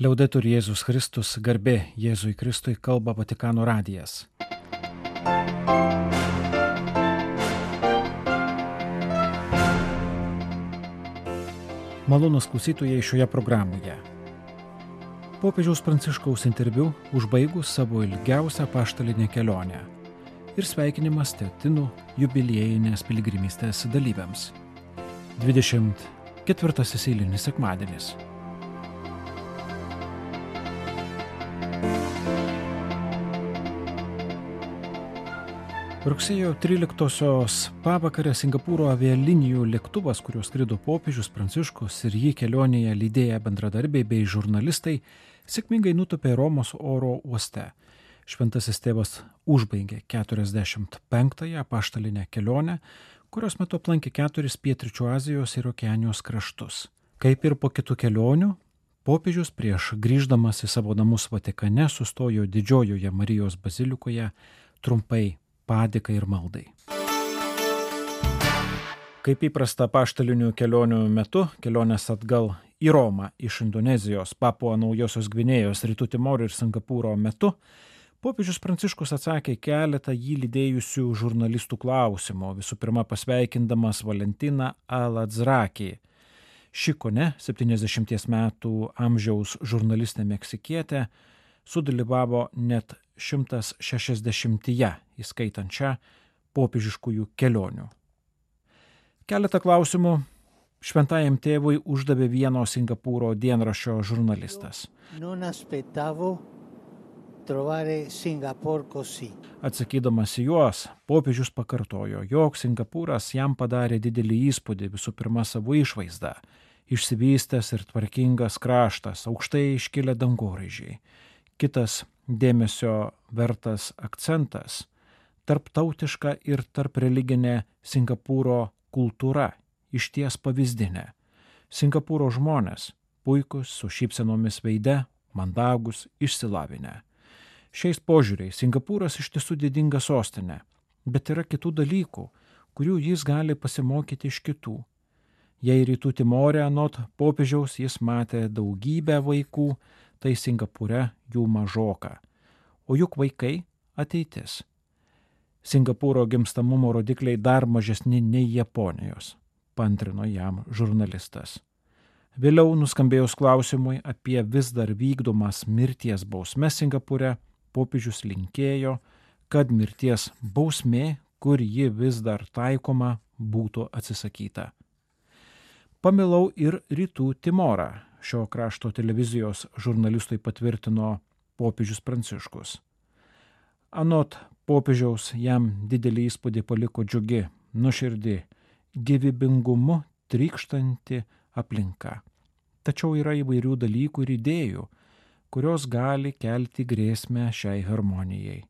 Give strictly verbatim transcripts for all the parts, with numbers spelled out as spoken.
Liaudetur Jėzus Kristus, garbė Jėzui Kristui, kalba Vatikano radijas. Malonūs klausytojai šioje programoje. Popiežiaus Pranciškaus interviu užbaigus savo ilgiausią apaštalinę kelionę ir sveikinimas Tetinų jubiliejinės piligrimystės dalyviams. dvidešimt ketvirtasis eilinis sekmadienis. Rugsėjo tryliktosios pavakarę Singapūro avialinijų lėktuvas, kuriuo skrido popiežius Pranciškus ir jį kelionėje lydėję bendradarbiai bei žurnalistai, sėkmingai nutūpė Romos oro uoste. Šventasis tėvas užbaigė keturiasdešimt penktąją apaštalinę kelionę, kurios metu aplankė keturis pietryčių Azijos ir Okeanijos kraštus. Kaip ir po kitų kelionių, popiežius prieš grįždamas į savo namus Vatikane sustojo Didžiojoje Marijos bazilikoje trumpai padėkai ir maldai. Kaip įprasta apaštalinių kelionių metu, kelionės atgal į Romą iš Indonezijos, Papua Naujosios Gvinėjos, Rytų Timoro ir Singapūro metu, popiežius Pranciškus atsakė keletą jį lydėjusių žurnalistų klausimų, visų pirma pasveikindamas Valentiną Al-Adzrakį. Ši kone septyniasdešimties metų amžiaus žurnalistė meksikietė sudalyvavo net šimtas šešiasdešimtyje, įskaitant šią popiežiškųjų kelionių. Keletą klausimų šventajam tėvui uždavė vieno Singapūro dienraščio žurnalistas. Atsakydamas į juos, popiežius pakartojo, jog Singapūras jam padarė didelį įspūdį visų pirma savo išvaizdą. Išsivystęs ir tvarkingas kraštas, aukštai iškilę dangoraižiai. Kitas dėmesio vertas akcentas – tarptautiška ir tarp religinė Singapūro kultūra, išties pavyzdinė. Singapūro žmonės puikus, su šypsenomis veide, mandagus, išsilavinę. Šiais požiūriais Singapūras iš tiesų didinga sostinė, bet yra kitų dalykų, kurių jis gali pasimokyti iš kitų. Jei Rytų Timore anot popiežiaus jis matė daugybę vaikų, tai Singapūre jų mažoka. O juk vaikai ateitis. Singapūro gimstamumo rodikliai dar mažesni nei Japonijos, paantrino jam žurnalistas. Vėliau nuskambėjus klausimui apie vis dar vykdomas mirties bausmes Singapūre, popiežius linkėjo, kad mirties bausmė, kur ji vis dar taikoma, būtų atsisakyta. Pamilau ir Rytų Timorą. Šio krašto televizijos žurnalistui patvirtino popiežius Pranciškus. Anot popiežiaus jam didelį įspūdį paliko džiugi, nuoširdi, gyvybingumu trykštanti aplinka. Tačiau yra įvairių dalykų ir idėjų, kurios gali kelti grėsmę šiai harmonijai.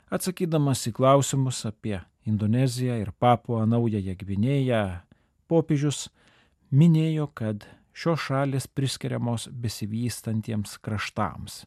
Atsakydamas į klausimus apie Indoneziją ir Papua Naująją Gvinėją, popiežius minėjo, kad šios šalys priskiriamos besivystantiems kraštams.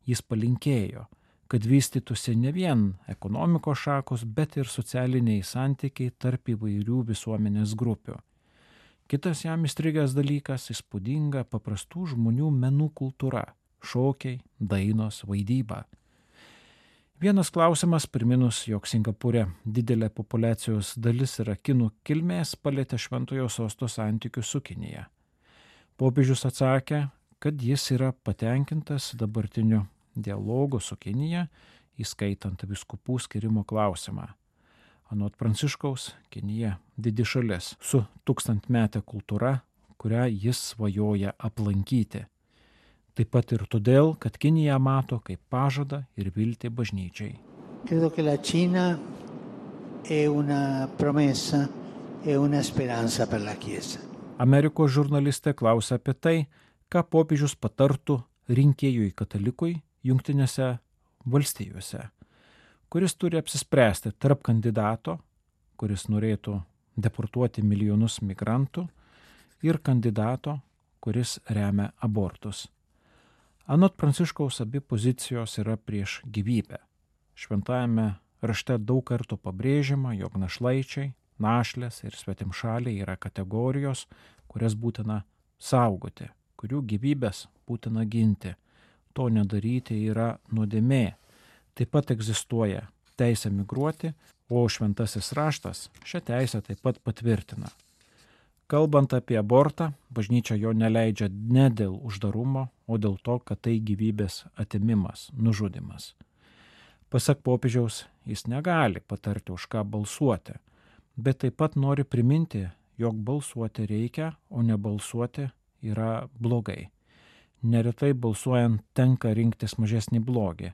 Jis palinkėjo, kad vystytųsi ne vien ekonomikos šakos, bet ir socialiniai santykiai tarp įvairių visuomenės grupių. Kitas jam įstrigęs dalykas – įspūdinga paprastų žmonių menų kultūra – šokiai, dainos, vaidyba. Vienas klausimas, priminus, jog Singapūre didelė populiacijos dalis yra kinų kilmės, palietė Šventojo Sosto santykius su Kinija. Popiežius atsakė, kad jis yra patenkintas dabartiniu dialogu su Kinija, įskaitant vyskupų skirimo klausimą. Anot Pranciškaus, Kinija didi šalis su tūkstantmete kultūra, kurią jis svajoja aplankyti. Taip pat ir todėl, kad Kinija mato kaip pažadą ir viltį bažnyčiai. Credo che la Cina è una promessa e una speranza per la Chiesa. Amerikos žurnalistė klausia apie tai, ką popiežius patartų rinkėjui katalikui Jungtinėse valstijose, kuris turi apsispręsti tarp kandidato, kuris norėtų deportuoti milijonus migrantų, ir kandidato, kuris remia abortus. Anot Pranciškaus abi pozicijos yra prieš gyvybę. Šventajame rašte daug kartų pabrėžiama, jog našlaičiai, našlės ir svetimšaliai yra kategorijos, kurias būtina saugoti, kurių gyvybės būtina ginti. To nedaryti yra nuodėmė. Taip pat egzistuoja teisė migruoti, o šventasis raštas šią teisę taip pat patvirtina. Kalbant apie abortą, bažnyčia jo neleidžia ne dėl uždarumo, o dėl to, kad tai gyvybės atimimas, nužudimas. Pasak popiežiaus, jis negali patarti, už ką balsuoti, bet taip pat nori priminti, jog balsuoti reikia, o nebalsuoti yra blogai. Neretai balsuojant tenka rinktis mažesnį blogį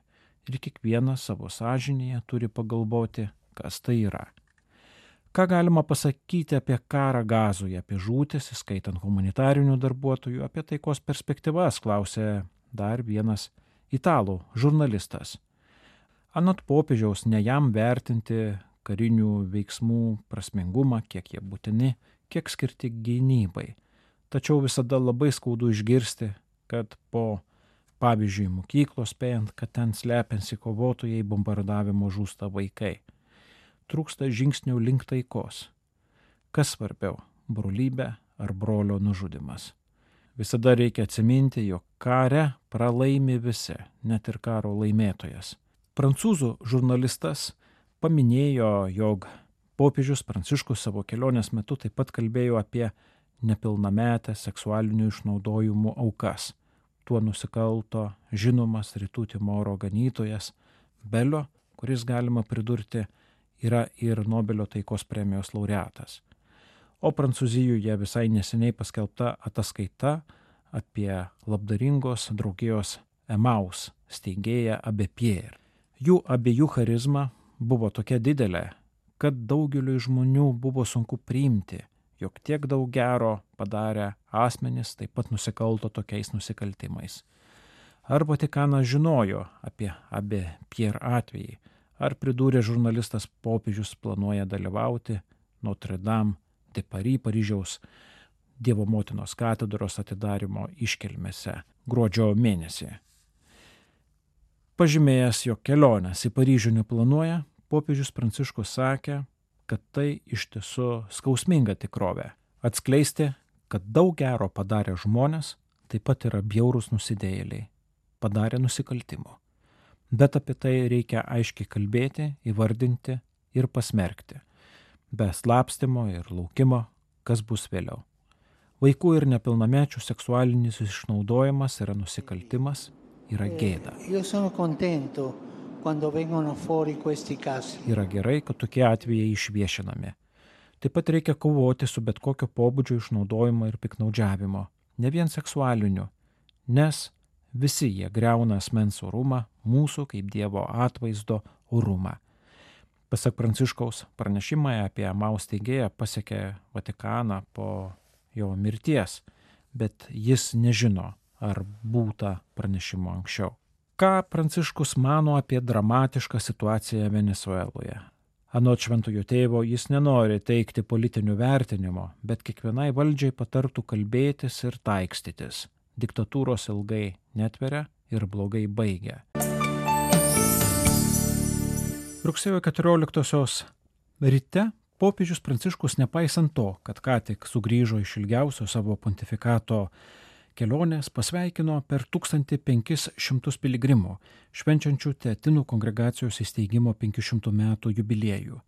ir kiekvienas savo sąžinėje turi pagalvoti, kas tai yra. Ką galima pasakyti apie karą Gazoje, apie žūtis, įskaitant humanitarinių darbuotojų, apie taikos perspektyvas, klausė dar vienas italų žurnalistas. Anot popiežiaus, ne jam vertinti karinių veiksmų prasmingumą, kiek jie būtini, kiek skirti gynybai. Tačiau visada labai skaudu išgirsti, kad po, pavyzdžiui, mokyklos spėjant, kad ten slepiansi kovotojai bombardavimo žūsta vaikai. Trūksta žingsnių link taikos. Kas svarbiau, brolybė ar brolio nužudimas? Visada reikia atsiminti, jog kare pralaimi visi, net ir karo laimėtojas. Prancūzų žurnalistas paminėjo, jog popiežius Pranciškus savo kelionės metu taip pat kalbėjo apie nepilnametę seksualinių išnaudojimų aukas. Tuo nusikalto žinomas Rytų Timoro ganytojas Belio, kuris galima pridurti yra ir Nobelio taikos premijos laureatas. O Prancūzijoje visai neseniai paskelbta ataskaita apie labdaringos draugijos Emaus steigėją Abbé Pierre. Jų abiejų charizma buvo tokia didelė, kad daugeliui žmonių buvo sunku priimti, jog tiek daug gero padarę asmenys taip pat nusikalto tokiais nusikaltimais. Ar Vatikanas žinojo apie Abbé Pierre atvejį, ar pridūrė žurnalistas popiežius planuoja dalyvauti Notre Dame de Paris Paryžiaus Dievo motinos katedros atidarymo iškilmėse gruodžio mėnesį. Pažymėjęs, jog kelionės į Paryžių neplanuoja, popiežius Pranciškus sakė, kad tai iš tiesų skausminga tikrovė. Atskleisti, kad daug gero padarę žmonės taip pat yra bjaurūs nusidėjėliai, padarė nusikaltimų. Bet apie tai reikia aiškiai kalbėti, įvardinti ir pasmerkti. Be slapstymo ir laukimo, kas bus vėliau. Vaikų ir nepilnamečių seksualinis išnaudojimas yra nusikaltimas, yra gėda. Yra gerai, kad tokie atvejai išviešinami. Taip pat reikia kovoti su bet kokio pobūdžio išnaudojimo ir piknaudžiavimo, ne vien seksualiniu, nes visi jie griauna asmens orumą, mūsų kaip Dievo atvaizdo orumą. Pasak Pranciškaus, pranešimai apie Emaus steigėją pasiekė Vatikaną po jo mirties, bet jis nežino, ar būta pranešimo anksčiau. Ką Pranciškus mano apie dramatišką situaciją Venesueloje? Anot šventojo tėvo jis nenori teikti politinių vertinimo, bet kiekvienai valdžiai patartų kalbėtis ir taikstytis. Diktatūros ilgai netveria ir blogai baigia. Rugsėjo keturioliktosios ryte popiežius Pranciškus, nepaisant to, kad ką tik sugrįžo iš ilgiausio savo pontifikato kelionės, pasveikino per tūkstantį penkis šimtus piligrimų, švenčiančių Teatinų kongregacijos įsteigimo penkių šimtų metų jubiliejų.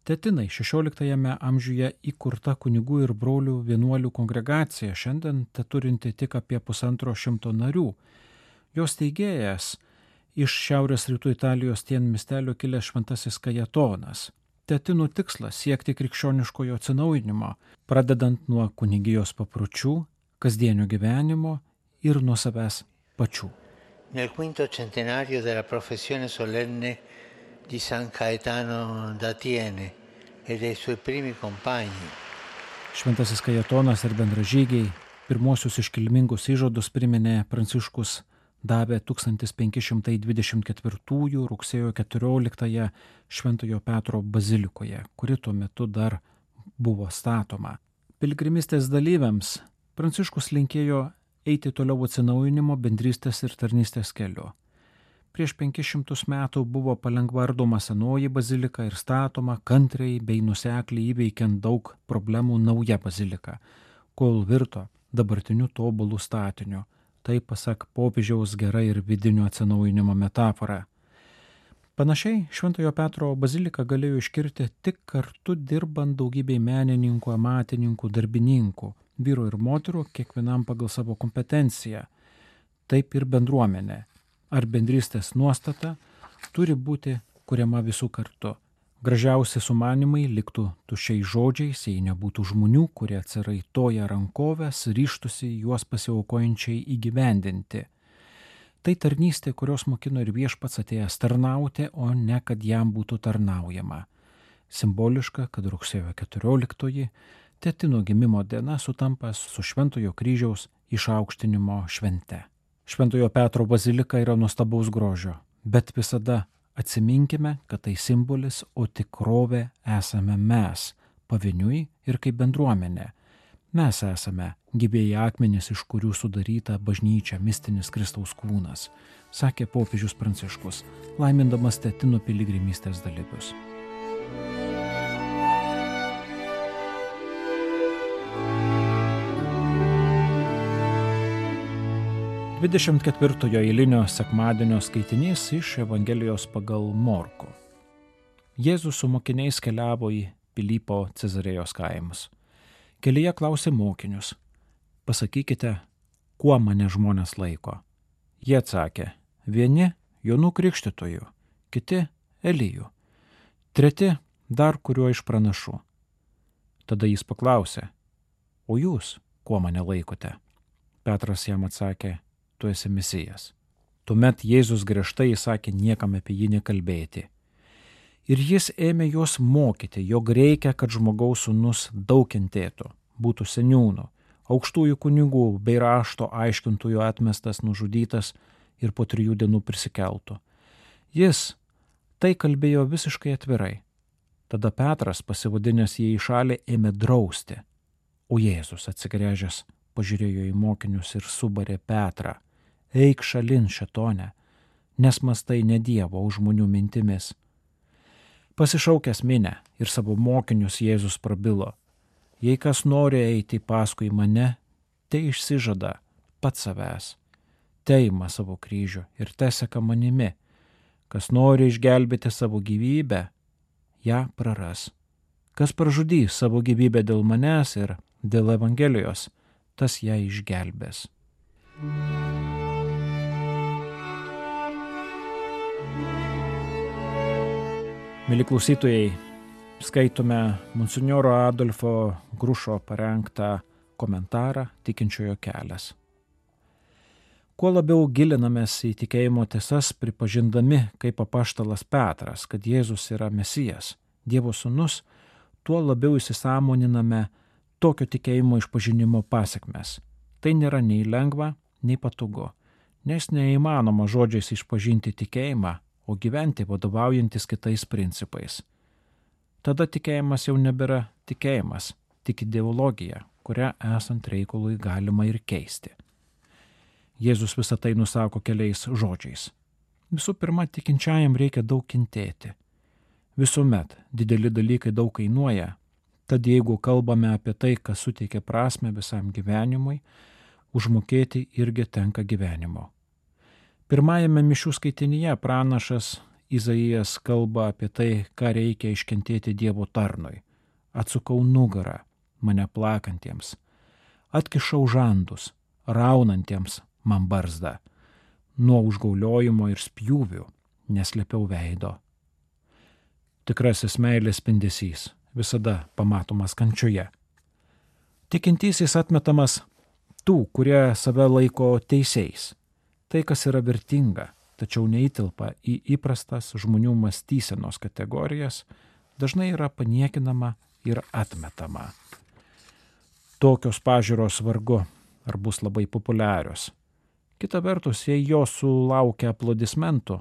Teatinai šešioliktajame amžiuje įkurta kunigų ir brolių vienuolių kongregacija, šiandien teturinti tik apie pusantro šimto narių. Jos steigėjas iš šiaurės rytų Italijos Tien miestelio kilęs šventasis Kajetonas. Teatinų tikslas siekti krikščioniškojo atsinaujinimo, pradedant nuo kunigijos papročių, kasdienio gyvenimo ir nuo savęs pačių. Nel quinto centenario della professione solenne di San Caetano da Tiene e dei suoi primi compagni. Šventasis Kajetonas ir bendražygiai pirmosius iškilmingus įžadus priminė Pranciškus davė tūkstantis penki šimtai dvidešimt ketvirtųjų rugsėjo keturioliktąją Šventojo Petro bazilikoje, kuri tuo metu dar buvo statoma. Piligrimystės dalyviams Pranciškus linkėjo eiti toliau atsinaujinimo, bendrystės ir tarnystės keliu. Prieš penkis šimtus metų buvo palengva ardoma senoji bazilika ir statoma kantriai bei nusekliai įveikiant daug problemų nauja bazilika, kol virto dabartiniu tobulų statiniu. Tai pasak popiežiaus gera ir vidinio atsinaujinimo metafora. Panašiai Šventojo Petro bazilika galėjo iškirti tik kartu dirbant daugybei menininkų, amatininkų, darbininkų, vyrų ir moterų, kiekvienam pagal savo kompetenciją. Taip ir bendruomenė ar bendrystės nuostata turi būti kuriama visų kartu. Gražiausi sumanimai liktų tuščiais žodžiais, jei nebūtų žmonių, kurie atsiraitoja rankovės, ryžtųsi juos pasiaukojančiai įgyvendinti. Tai tarnystė, kurios mokino ir Viešpats atėjęs tarnauti, o ne kad jam būtų tarnaujama. Simboliška, kad rugsėjo keturioliktoji, Tetino gimimo diena sutampa su Šventojo kryžiaus išaukštinimo švente. Šventojo Petro bazilika yra nuostabaus grožio, bet visada atsiminkime, kad tai simbolis, o tikrovė esame mes, pavieniui ir kaip bendruomenė. Mes esame gyvieji akmenys, iš kurių sudaryta bažnyčia, mistinis Kristaus kūnas, sakė popiežius Pranciškus, laimindamas Tetino piligrimystės dalyvius. dvidešimt ketvirtojo eilinio sekmadienio skaitinys iš Evangelijos pagal Morkų. Jėzus su mokiniais keliavo į Pilypo Cezarėjos kaimus. Kelyje klausė mokinius: pasakykite, kuo mane žmonės laiko? Jie atsakė: vieni Jonu Krikštytoju, kiti Eliju, treti dar kuriuo iš pranašų. Tada jis paklausė: o jūs kuo mane laikote? Petras jam atsakė: tu esi Mesijas. Tuomet Jėzus griežtai įsakė niekam apie jį nekalbėti. Ir jis ėmė juos mokyti, jog reikia, kad žmogaus sūnus daug kentėtų, būtų seniūnų, aukštųjų kunigų bei rašto aiškintojų atmestas, nužudytas ir po trijų dienų prisikeltų. Jis tai kalbėjo visiškai atvirai. Tada Petras, pasivadinęs jį į šalį, ėmė drausti. O Jėzus atsigręžęs pažiūrėjo į mokinius ir subarė Petrą: eik šalin, šėtone, nes mąstai ne Dievo, o žmonių mintimis. Pasišaukęs minią ir savo mokinius Jėzus prabilo: jei kas nori eiti paskui mane, tai išsižada pats savęs, teima savo kryžių ir teseka manimi. Kas nori išgelbėti savo gyvybę, ją praras. Kas pražudys savo gyvybę dėl manęs ir dėl Evangelijos, tas ją išgelbės. Mėly klausytojai, skaitome monsinjoro Adolfo Grušo parengtą komentarą Tikinčiojo kelias. Kuo labiau gilinamės į tikėjimo tiesas, pripažindami kaip apaštalas Petras, kad Jėzus yra Mesijas, Dievo sūnus, tuo labiau įsisąmoniname tokio tikėjimo išpažinimo pasekmes. Tai nėra nei lengva, nei patogu, nes neįmanoma žodžiais išpažinti tikėjimą, o gyventi vadovaujantis kitais principais. Tada tikėjimas jau nebėra tikėjimas, tik ideologija, kurią esant reikalui galima ir keisti. Jėzus visą tai nusako keliais žodžiais. Visų pirma, tikinčiajam reikia daug kentėti. Visuomet dideli dalykai daug kainuoja, tad jeigu kalbame apie tai, kas suteikia prasme visam gyvenimui, užmokėti irgi tenka gyvenimo. Pirmajame mišių skaitinyje pranašas Izaijas kalba apie tai, ką reikia iškentėti Dievo tarnui. Atsukau nugarą mane plakantiems, atkišau žandus, raunantiems man barzdą, nuo užgauliojimo ir spjūvių neslėpiau veido. Tikrasis meilės spindesys visada pamatomas kančioje. Tikintysis atmetamas tų, kurie save laiko teisiais. Tai, kas yra vertinga, tačiau neįtilpa į įprastas žmonių mąstysenos kategorijas, dažnai yra paniekinama ir atmetama. Tokios pažiūros vargu ar bus labai populiarios. Kita vertus, jei jos sulaukia aplodismentų,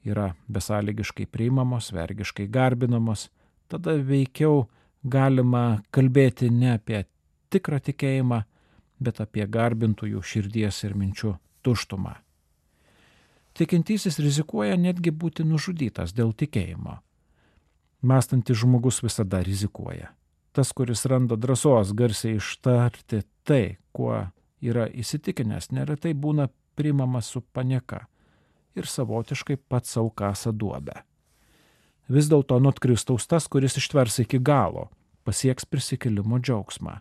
yra besąlygiškai priimamos, vergiškai garbinamos, tada veikiau galima kalbėti ne apie tikrą tikėjimą, bet apie garbintojų širdies ir minčių tuštumą. Tikintysis rizikuoja netgi būti nužudytas dėl tikėjimo. Mąstantis žmogus visada rizikuoja. Tas, kuris randa drąsos garsiai ištarti tai, kuo yra įsitikinęs, neretai būna priimamas su panieka ir savotiškai pats savo kasa duobę. Vis dėlto anot Kristaus tas, kuris ištvers iki galo, pasieks prisikėlimo džiaugsmą.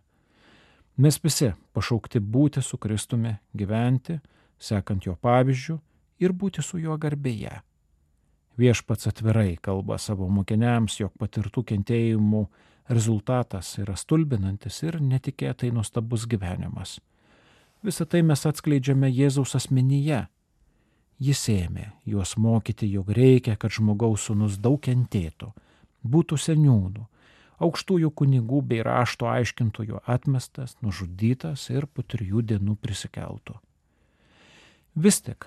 Mes visi pašaukti būti su Kristumi, gyventi, sekant jo pavyzdžiu ir būti su juo garbėje. Viešpats atvirai kalba savo mokiniams, jog patirtų kentėjimų rezultatas yra stulbinantis ir netikėtai nuostabus gyvenimas. Visą tai mes atskleidžiame Jėzaus asmenyje. Jis ėmė juos mokyti, jog reikia, kad žmogaus sūnus daug kentėtų, būtų seniūnų, aukštųjų kunigų bei rašto aiškintojų atmestas, nužudytas ir po trijų dienų prisikeltų. Vis tik,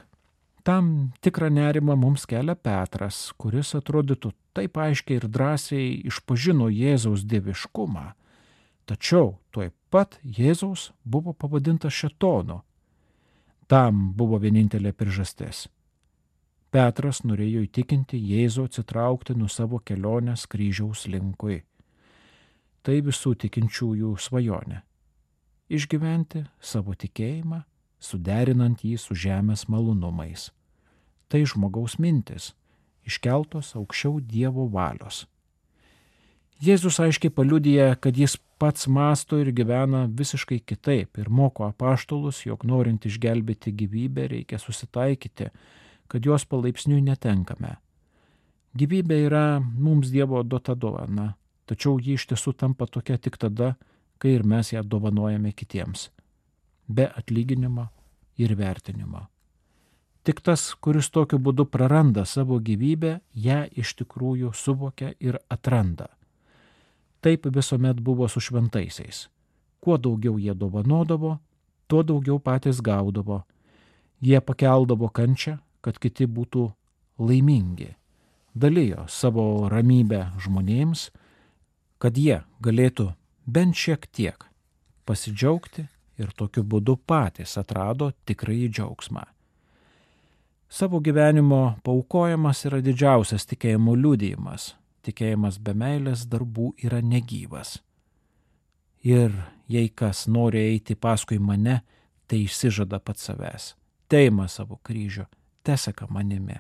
tam tikrą nerimą mums kelia Petras, kuris atrodytų taip aiškiai ir drąsiai išpažino Jėzaus dieviškumą, tačiau tuoj pat Jėzaus buvo pavadintas šėtonu. Tam buvo vienintelė priežastis. Petras norėjo įtikinti Jėzų atsitraukti nuo savo kelionės kryžiaus linkui. Tai visų tikinčiųjų svajonė. Išgyventi savo tikėjimą, suderinant jį su žemės malonumais. Tai žmogaus mintis, iškeltos aukščiau Dievo valios. Jėzus aiškiai paliudija, kad jis pats mąsto ir gyvena visiškai kitaip ir moko apaštalus, jog norint išgelbėti gyvybę reikia susitaikyti, kad jos palaipsniui netenkame. Gyvybė yra mums Dievo duota dovana, tačiau ji iš tiesų tampa tokia tik tada, kai ir mes ją dovanojame kitiems, be atlyginimo ir vertinimo. Tik tas, kuris tokiu būdu praranda savo gyvybę, ją iš tikrųjų suvokia ir atranda. Taip visuomet buvo su šventaisiais. Kuo daugiau jie dovanodavo, tuo daugiau patys gaudavo. Jie pakeldavo kančią, kad kiti būtų laimingi. Dalijo savo ramybę žmonėms, kad jie galėtų bent šiek tiek pasidžiaugti ir tokiu būdu patys atrado tikrąjį džiaugsmą. Savo gyvenimo paaukojimas yra didžiausias tikėjimo liudijimas. Tikėjimas be meilės darbų yra negyvas. Ir jei kas nori eiti paskui mane, tai išsižada pats savęs. Teima savo kryžių, teseka manimi.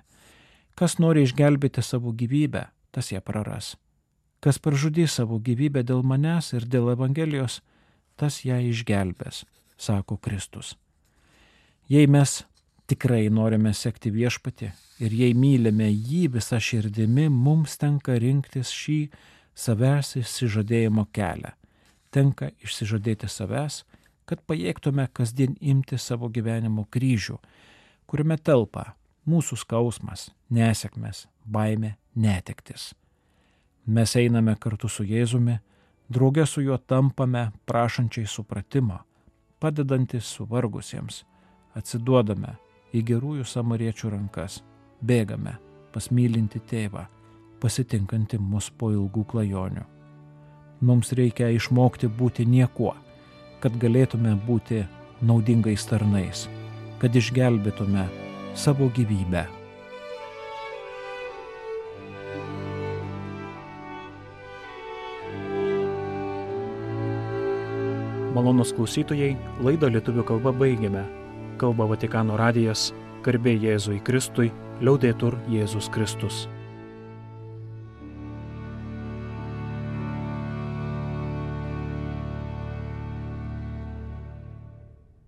Kas nori išgelbėti savo gyvybę, tas ją praras. Kas pražudys savo gyvybę dėl manęs ir dėl Evangelijos, tas ją išgelbės, sako Kristus. Jei mes tikrai norime sekti viešpatį ir jei mylime jį visą širdimi, mums tenka rinktis šį savęs išsižadėjimo kelią. Tenka išsižadėti savęs, kad pajėgtume kasdien imti savo gyvenimo kryžių, kuriame telpa mūsų skausmas, nesėkmės, baimė, netektis. Mes einame kartu su Jėzumi, drauge su juo tampame prašančiai supratimo, padedantis suvargusiems, atsiduodame į gerųjų samariečių rankas, bėgame pas mylinti tėvą, pasitinkantį mus po ilgų klajonių. Mums reikia išmokti būti niekuo, kad galėtume būti naudingais tarnais, kad išgelbėtume savo gyvybę. Malonūs klausytojai, laidą lietuvių kalba baigėme. Kalba Vatikano radijas, garbė Jėzui Kristui, liaudetur Jėzus Kristus.